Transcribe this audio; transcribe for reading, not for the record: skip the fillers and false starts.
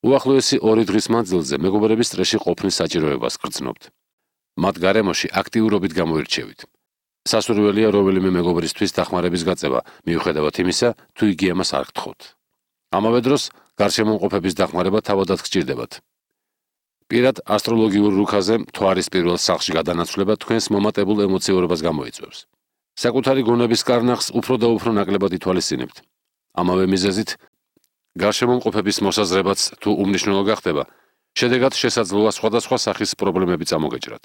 უახლოესი 2 დღის მანძილზე მეგობრების წრეში ყოფნის საჭიროებას გრძნობთ. მათ გარემოში აქტიურობით გამოირჩევით. სასურველია რომელიმე მეგობრისთვის დახმარების გაწევა, მიუხედავად იმისა, თუ იგი ამას არ გთხოვთ. ამავე დროს გარშემოყოფების დახმარება თავადაც გჭირდებათ. პირად ასტროლოგიურ რუქაზე მთვარის პირველ სახლში გადანაცვლება თქვენს მომატებულ ემოციურობას გამოიწვევს. საკუთარი გონების კარნახს უფრო და უფრო ნაკლებად ითვალისწინებთ. ამავე მიზეზით გარშემოყოფების მოსაზრებაც თუ უმნიშვნელო გახდება, შედეგად შესაძლოა სხვადასხვა სახის პრობლემები წამოგეჭრათ.